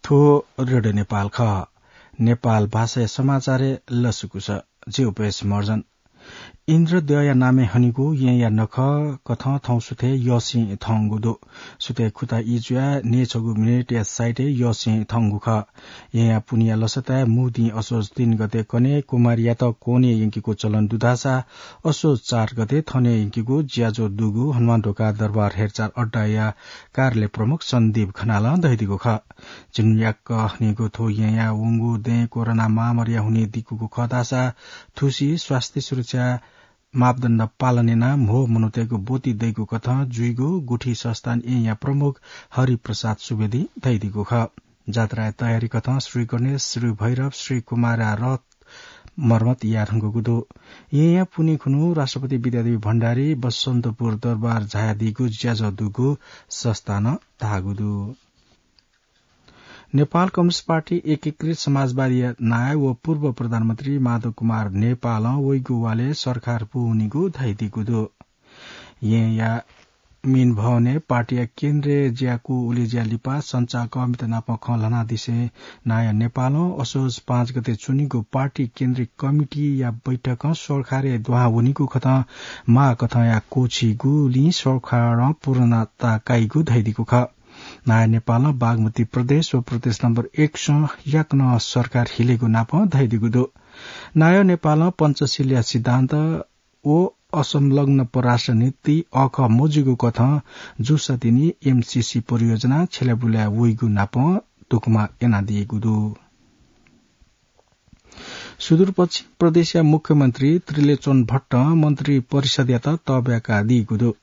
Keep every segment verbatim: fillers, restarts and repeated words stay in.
थ्व रेडियो नेपाल खः। नेपाल भाषाया समाचारय् लसकुस। जि उपेश महर्जन। इन्द्रद्यःया नामय् हनीगु येँया नखः कथं थौं सुथय् यःसिं थंगु दु। सुथय् खुता ई जुयाः न्यय्छगू मिनेटया साइटय् यःसिं थंगु खः। येँया पुन्हिया लसताय् मुदिं असोज तीन गते कन्हय् कुमारीयात क्वनय् यंकेगु चलन दु धाःसा असोज चार गते थनय् यंकेगु ज्याझ्वः दुगु हनुमानढोका दरबार हेरचाह अड्डाया कार्यालय प्रमुख सन्दीप खनालं धयादीगु खः। झिंन्याक्क हनीगु थ्व येँया वंगु दँय् कोरोना महामारीया हुनिं दिकूगु खः धाःसा थुसी स्वास्थ्य सुरक्षा मापदण्ड पालन यानाः म्हो मनूतय्गु ब्वति दइगु कथं जुइगु गुठी संस्थान येँया प्रमुख हरिप्रसाद सुवेदीं धयादीगु खः। जात्राया तयारी कथं श्री गणेश, श्री भैरव, श्री कुमारया रथ मर्मत याये धुंकूगु दु। येँया पुन्हि खुन्हु राष्ट्रपति विद्यादेवी भण्डारी बसन्तपुर दरबार झायादीगु ज्याझ्वः दुगु संस्थानं धाःगु दु। नेपाल कम्युनिस्ट पार्टी एकीकृत समाजवादीया नायः व पूर्व प्रधानमन्त्री माधव कुमार नेपालं वइगु वालय् सरकार पूवनीगु धयादीगु दु। येँया मिन भवनय् पार्टीया केन्द्रीय ज्याकू उलेज्या लिपा सञ्चारकर्मीत नाप खँ ल्हानादिसें नायः नेपालं असोज पाँच गते च्वनीगु पार्टी केन्द्रीय कमिटीया बैठकं सरकारय् दुहां वनीगु कथं माःकथंया क्वःछीगुलिं सरकारं पूर्णता काइगु धयादीगु खः। नायः नेपालं बागमती प्रदेश व प्रदेश नम्बर एक सं याकनं सरकार हिलेगु नाप धयादीगु दु। नायः नेपालं पञ्चशीलया सिद्धान्त व असंलग्न परराष्ट्र नीति अःखः मजूगु कथं जूसा तिनि एमसीसी परियोजना छ्यलाबुलाय् वइगु नाप धुकुमा यानादीगु दु। सुदूरपश्चिम प्रदेशया मुख्यमन्त्री त्रिलोचन भट्टं मन्त्री परिषदयात तःब्याकादीगु दु।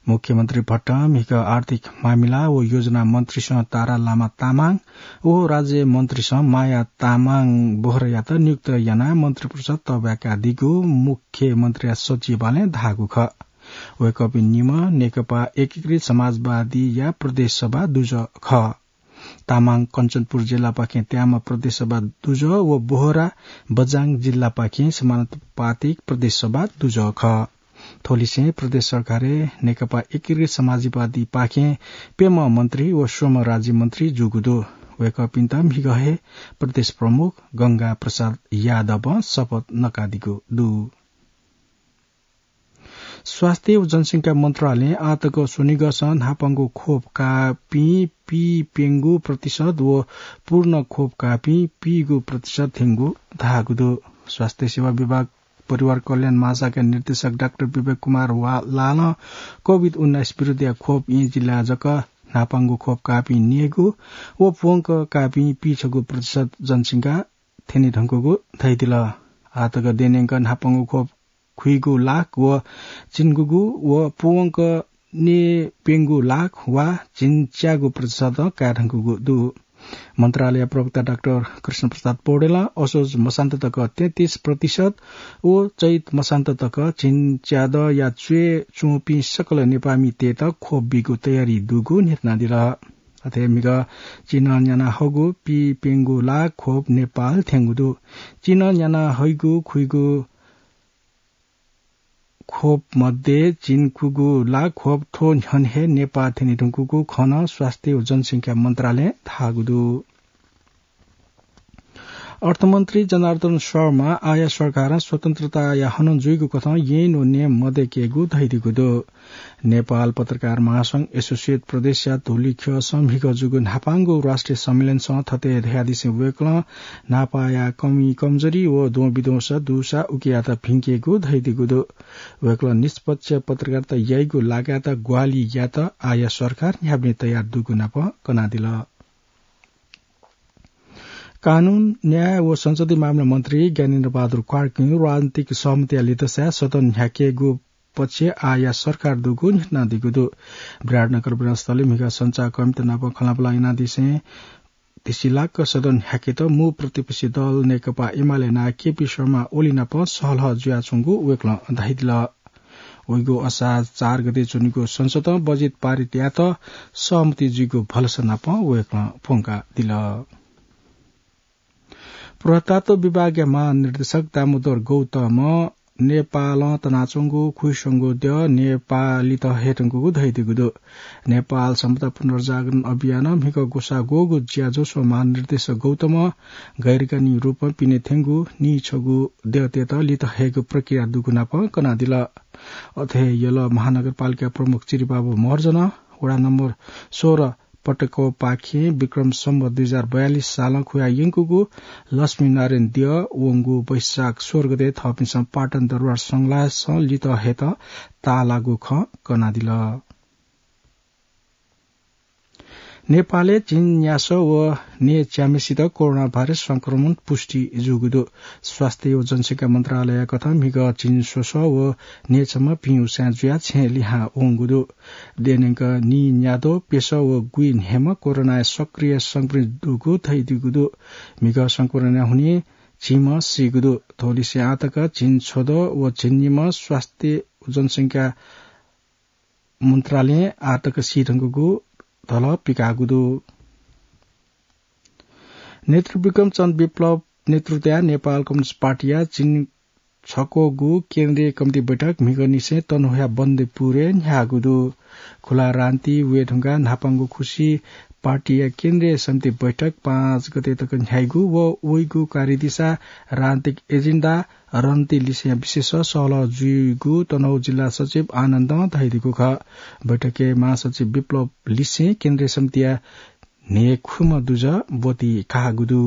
मुख्यमन्त्री भट्टं म्हिगः आर्थिक मामिला व योजना मन्त्रीसं तारा लामा तामाङ व राज्य मन्त्रीसं माया तामाङ बोहरायात नियुक्त यानाः मन्त्री परिषद तःब्याकादीगु मुख्यमन्त्रीया सचिवालयं धाःगु खः। वय्कःपिं निम्ह नेकपा एकीकृत समाजवादीया प्रदेश सभा दुजः खः। तामाङ कञ्चनपुर जिल्लापाखें त्याम्ह प्रदेश सभा दुजः व बोहरा बझाङ जिल्लापाखें समानुपातिक प्रदेश सभा दुजः खः। थ्वलिसें प्रदेश सरकारय् नेकपा एकीकृत समाजवादीपाखें प्यम्ह मन्त्री व स्वम्ह राज्यमन्त्री जूगु दु। वय्कःपिन्त म्हिगः हे प्रदेश प्रमुख गंगा प्रसाद यादवं शपथ नकादीगु दु। स्वास्थ्य व जनसंख्या मन्त्रालयं आःतक स्वनिगःसं न्हापांगु खोप काःपिं पीप्यंगू प्रतिशत व पूर्ण खोप काःपिं पीगू प्रतिशत थ्यंगु धाःगु दु। स्वास्थ्य सेवा विभाग परिवार कल्याण महाशाखा निर्देशक डाक्टर विवेक कुमार वा-, लालं कोभिड उन्नाइस विरुद्धया खोप येँ जिल्लाय् जक न्हापांगु खोप काःपिं न्यय्गू व पूवंक काःपिं पीछगू प्रतिशत जनसंख्या थ्यने धुंकूगु धयादिल। आःतक देनेंक न्हापांगु खोप खुइगू लाख व झिंगूगू व पूवंक न्यय्प्यंगू लाख वा झिंच्यागू प्रतिशत काये धुंकूगु दु। मन्त्रालय प्रवक्ता डाक्टर कृष्ण प्रसाद पौडेलं असोज मसान्त तक तैंतिस प्रतिशत व चैत मसान्त तक झिंच्यादँया च्वय् च्वंपिं सकल नेपाःमितय्त खोप बीगु तयारी दुगु न्ह्यथनादिल। अथे म्हिगः चिनं न्याना हःगु पीप्यंगू लाख खोप नेपाल थ्यंगु दु। चिनं न्याना हइगु खुइगु खोप मध्ये झिंकूगू लाख खोप थ्व न्ह्यःने हे नेपाः थ्यने धुंकूगु खँ नं स्वास्थ्य व जनसंख्या मन्त्रालयं धाःगु दु। अर्थमन्त्री जनार्दन शर्मा आःया सरकारं स्वतन्त्रताया हनं जुइगु कथं ऐन व नियम मदय्केगु धयादीगु दु। नेपाल पत्रकार महासंघ एसोसिएट प्रदेशया धुलिख्यःसं म्हिगः जूगु न्हापांगु राष्ट्रिय सम्मेलनसं थथे धयादिसें वय्कलं न्हापाया कमी कमजोरी व द्वंबिद्वंस दुसा उकियात भिंकेगु धयादीगु दु। वय्कलं निष्पक्ष पत्रकारिता याइगु लागायत ग्वाहालि यायेत आःया सरकार न्ह्याबलें तयार दुगु नाप कनादिल। कानून, न्याय व संसदीय मामला मन्त्री ज्ञानेन्द्र बहादुर कार्कीं राजनीतिक सहमतिया लिधंसाय् सदन न्ह्याकेगु पक्षय् आःया सरकार दुगु न्ह्यथनादीगु दु। विराटनगर विधानसभाय् म्हिगः सञ्चारकर्मीत नाप खँल्हाबल्हा यानादिसें धिसिलाक्क सदन न्ह्याकेत मू प्रतिपक्षी दल नेकपा एमाले नायः केपी शर्मा ओली नाप सहलह जुयाच्वंगु वय्कलं धयादिल। वइगु असार चार गते च्वनीगु संसदं बजेट पारित यायेत सहमति जुइगु भलसा नाप वय्कलं प्वंकादिल। पुरातत्व विभागया महानिर्देशक दामोदर गौतमं नेपालं तनाच्वंगु खुइस्वंगू द्यः नेपालीत हयेधुंकूगु धयादीगु दु। नेपाल संपदा पुनर्जागरण अभियानं म्हिगः ग्वसाः ग्वःगु ज्याझ्वः महानिर्देशक गौतमं गैरकानूनी रूपं पिने थ्यंगु नीछगू द्यःतय्त लित हयेगु प्रक्रिया दुगु नापं कनादिल। अथे हे यल महानगरपालिका प्रमुख चिरिबाबु महर्जनं वडा नम्बर सोह्र पटकोपाखें विक्रम सम्वत दुई हजार बयालिस सालं खुया यंकूगु लक्ष्मीनारायण द्यः वंगु वैशाख सोह्र गते थःपिन्सं पाटन दरबार संघलासं लित हयेत ताःलाःगु खँ कनादिल। नेपालय् झिंन्यासः व न्यय्च्याम्हेसित कोरोना भाइरस संक्रमण पुष्टि जूगु दु। स्वास्थ्य व जनसंख्या मन्त्रालय कथं म्हिगः झिंस्वसः व न्यय्छम्ह भिं उसाँय् जुयाः छेँय् लिहां वंगु दु। देनेक नीन्याद्वः प्यसः व गुइन्हय्म्ह कोरोनाय् सक्रिय संक्रमित दुगु धयादीगु दु। म्हिगः संक्रमणया हुनिं झिंम्ह सीगु दु। थ्वलिसें आःतक झिंछद्वः व झिंनिम्ह स्वास्थ्य व जनसंख्या मन्त्रालयं आःतक सीधुंकूगु धलः पिकाःगु दु। नेतृ विक्रम चन्द विप्लव नेतृत्वया नेपाल कम्युनिस्ट पार्टीया झिंछक्वःगु केन्द्रीय कमिटी बैठक म्हिगःनिसें तनहुँया बन्देपुरय् न्ह्याःगु दु। खुला राजनीति वये धुंकाः न्हापांगु खुसी पार्टीया केन्द्रीय समिति बैठक पाँच गते तक न्ह्याइगु व वइगु कार्यदिशा, राजनीतिक एजेन्डा, रणनीति लिसें विशेष सहलह जुइगु तनहुँ जिल्ला सचिव आनन्दं धयादीगु खः। बैठकय् महासचिव विप्लव लिसें केन्द्रीय समितिया न्हय्खुम्ह दुजः ब्वति काःगु दु।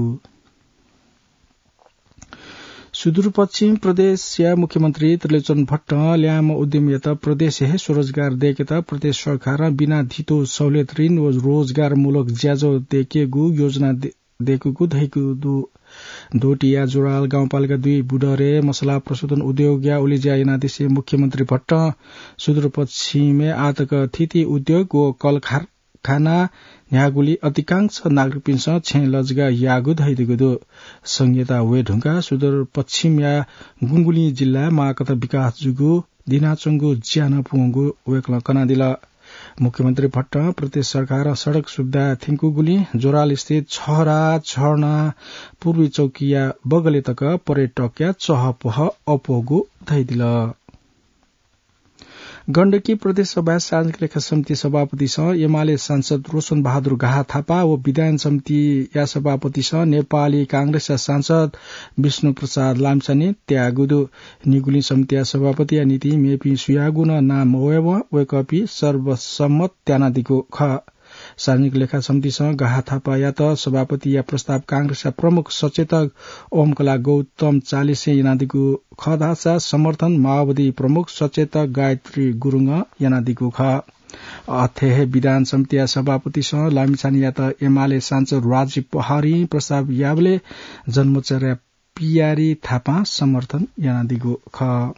सुदूरपश्चिम प्रदेशया मुख्यमन्त्री त्रिलोचन भट्टं ल्याय्म्ह उद्यमीयात प्रदेशय् हे स्वरोजगार दय्केत प्रदेश सरकारं बिना धितो सहुलियत ऋण व रोजगारमूलक ज्याझ्वः दय्केगु योजना दे-, दय्कूगु धयादीगु दु। डोटीया जोराल गाउँपालिका दुई बुडरे मसला प्रशोधन उद्योगया उलेज्या यानादिसें मुख्यमन्त्री भट्टं सुदूरपश्चिमय् आःतक थीथी उद्योग व कलखार खाना न्ह्याःगुलिं अधिकांश नागरिकपिन्सं छेँ लजगाः याःगु धयादीगु दु। संघीयता वये धुंकाः सुदूरपश्चिमया गुंगुलिं जिल्लाय् माःकथं विकास जूगु दिनाच्वंगु ज्या नं पूवंगु वय्कलं कनादिल। मुख्यमन्त्री भट्टं प्रदेश सरकारं सडक सुविधा थ्यंकूगुलिं जोराल स्थित छहरा, छहर्ना, पूर्वी चौकीया बगलय् तक पर्यटकया चहपह अप्वःगु धयादिल। गण्डकी प्रदेश सभाया सार्वजनिक लेखा समिति सभापतिसं एमाले सांसद रोशन बहादुर गाहा थापा व विधान समितिया सभापतिसं नेपाली कांग्रेसया सांसद विष्णु प्रसाद लामिछाने त्याःगु दु। निगुलिं समितिया सभापतिया निंतिं मेपिं सुयागु नं नां मवयेवं वय्कःपिं सर्वसम्मत त्यानादीगु खः। सार्वजनिक लेखा समितिसं गाहा थापायात सभापतिया प्रस्ताव कांग्रेसया प्रमुख सचेतक ओमकला गौतम चालिसें यानादीगु खः धाःसा समर्थन माओवादी प्रमुख सचेतक गायत्री गुरुङं यानादीगु खः। अथे हे विधान समितिया सभापतिसं लामिछानेयात एमाले सांसद राजीव पहाडीं प्रस्ताव याःबलय् जन्मचर्या पियारी थापां समर्थन यानादीगु खः।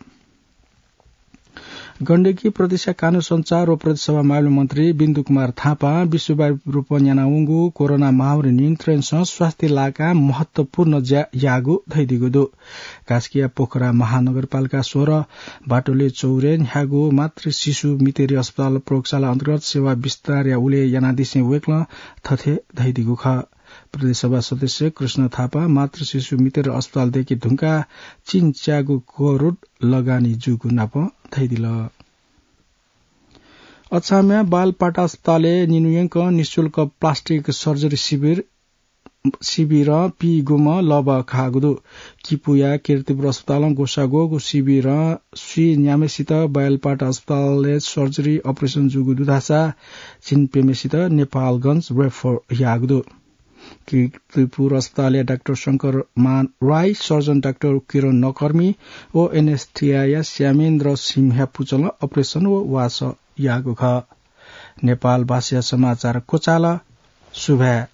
गण्डकी प्रदेशया कानून सञ्चार व प्रदेश सभा मामिला मन्त्री बिन्दु कुमार थापां विश्वव्यापी रूपं यानावंगु कोरोना महामारी नियन्त्रणसं स्वास्थ्य लाकां महत्वपूर्ण ज्या याःगु धयादीगु दु। कास्कीया पोखरा महानगरपालिका सोह्र बाटोले चौरे न्ह्याःगु मातृ शिशु मितेरी अस्पताल प्रयोगशाला अन्तर्गत सेवा विस्तारया उल्लेख यानादिसें वय्कलं थथे धयादीगु खः। प्रदेश सभा सदस्य कृष्ण थापां मातृ शिशु मितेरी अस्पताल दय्के धुंकाः चिन्च्यागू करोड लगानी जूगु नापं धयादिल। अछामया बालपाटा अस्पतालय् निन्हु यंकं निशुल्क प्लास्टिक सर्जरी शिविर, शिविरं पीगुम्ह लबः खाःगु दु। किपूया कीर्तिपुर अस्पतालं ग्वसाः ग्वःगु शिविरं स्वीन्याम्हेसित बालपाटा अस्पतालय् सर्जरी अपरेसन जूगु दु धाःसा झिंप्यम्हेसित नेपालगंज रेफर याःगु दु। कीर्तिपुर अस्पतालया डाक्टर शंकर मान राई, सर्जन डाक्टर किरण नकर्मी व एनेस्थेसियाया श्यामेन्द्र सिंह पुचलं अपरेसन व वासः याःगु खः। नेपाल भाषाया समाचार क्वचाल। सुभाय्।